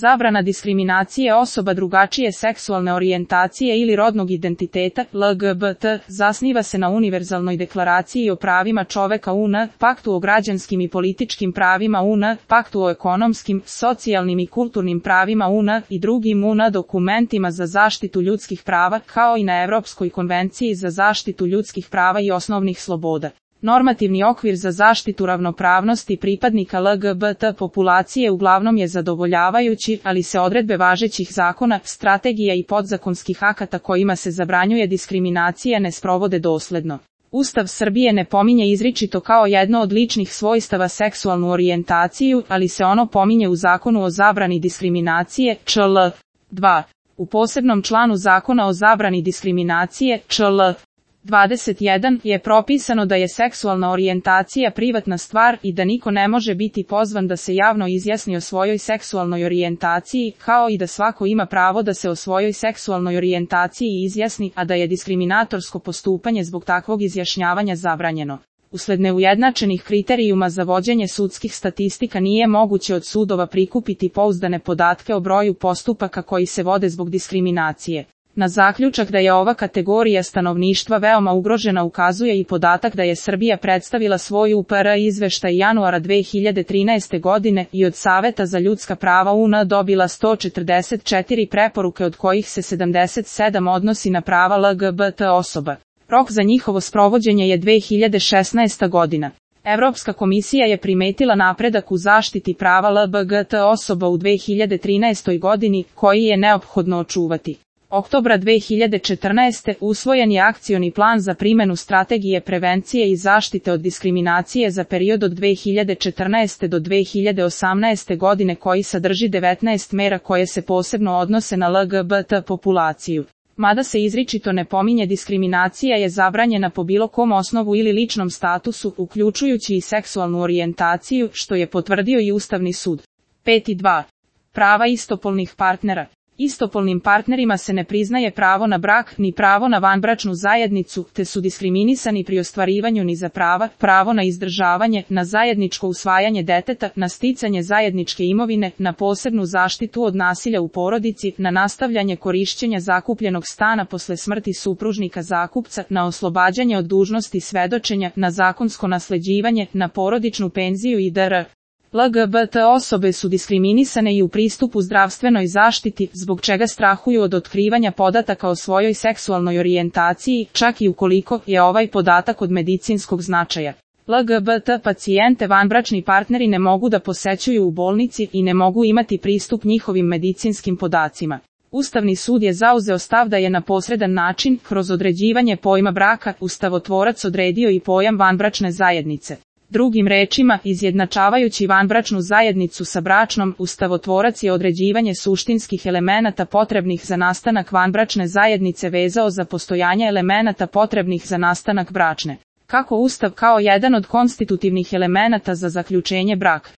Zabrana diskriminacije osoba drugačije seksualne orijentacije ili rodnog identiteta, LGBT, zasniva se na Univerzalnoj deklaraciji o pravima čoveka UN, Paktu o građanskim i političkim pravima UN, Paktu o ekonomskim, socijalnim i kulturnim pravima UN i drugim UN dokumentima za zaštitu ljudskih prava, kao i na Evropskoj konvenciji za zaštitu ljudskih prava i osnovnih sloboda. Normativni okvir za zaštitu ravnopravnosti pripadnika LGBT populacije uglavnom je zadovoljavajući, ali se odredbe važećih zakona, strategija i podzakonskih akata kojima se zabranjuje diskriminacija ne sprovode dosledno. Ustav Srbije ne pominje izričito kao jedno od ličnih svojstava seksualnu orijentaciju, ali se ono pominje u Zakonu o zabrani diskriminacije, čl. 2. U posebnom članu Zakona o zabrani diskriminacije, čl. 21 je propisano da je seksualna orijentacija privatna stvar i da niko ne može biti pozvan da se javno izjasni o svojoj seksualnoj orijentaciji, kao i da svako ima pravo da se o svojoj seksualnoj orijentaciji izjasni, a da je diskriminatorsko postupanje zbog takvog izjašnjavanja zabranjeno. Usled neujednačenih kriterijuma za vođenje sudskih statistika nije moguće od sudova prikupiti pouzdane podatke o broju postupaka koji se vode zbog diskriminacije. Na zaključak da je ova kategorija stanovništva veoma ugrožena ukazuje i podatak da je Srbija predstavila svoj UPR izveštaj januara 2013. godine i od Saveta za ljudska prava UN dobila 144 preporuke, od kojih se 77 odnosi na prava LGBT osoba. Rok za njihovo sprovođenje je 2016. godina. Evropska komisija je primetila napredak u zaštiti prava LGBT osoba u 2013. godini, koji je neophodno očuvati. Oktobra 2014. usvojen je akcioni plan za primenu strategije prevencije i zaštite od diskriminacije za period od 2014. do 2018. godine, koji sadrži 19 mera koje se posebno odnose na LGBT populaciju. Mada se izričito ne pominje, diskriminacija je zabranjena po bilo kom osnovu ili ličnom statusu, uključujući i seksualnu orijentaciju, što je potvrdio i Ustavni sud. 5.2. Prava istopolnih partnera. Istopolnim partnerima se ne priznaje pravo na brak, ni pravo na vanbračnu zajednicu, te su diskriminisani pri ostvarivanju ni za pravo na izdržavanje, na zajedničko usvajanje deteta, na sticanje zajedničke imovine, na posebnu zaštitu od nasilja u porodici, na nastavljanje korišćenja zakupljenog stana posle smrti supružnika zakupca, na oslobađanje od dužnosti svedočenja, na zakonsko nasleđivanje, na porodičnu penziju i dr. LGBT osobe su diskriminisane i u pristupu zdravstvenoj zaštiti, zbog čega strahuju od otkrivanja podataka o svojoj seksualnoj orijentaciji, čak i ukoliko je ovaj podatak od medicinskog značaja. LGBT pacijente vanbračni partneri ne mogu da posećuju u bolnici i ne mogu imati pristup njihovim medicinskim podacima. Ustavni sud je zauzeo stav da je na posredan način, kroz određivanje pojma braka, ustavotvorac odredio i pojam vanbračne zajednice. Drugim rečima, izjednačavajući vanbračnu zajednicu sa bračnom, ustavotvorac je određivanje suštinskih elemenata potrebnih za nastanak vanbračne zajednice vezao za postojanje elemenata potrebnih za nastanak bračne. Kako Ustav kao jedan od konstitutivnih elemenata za zaključenje braka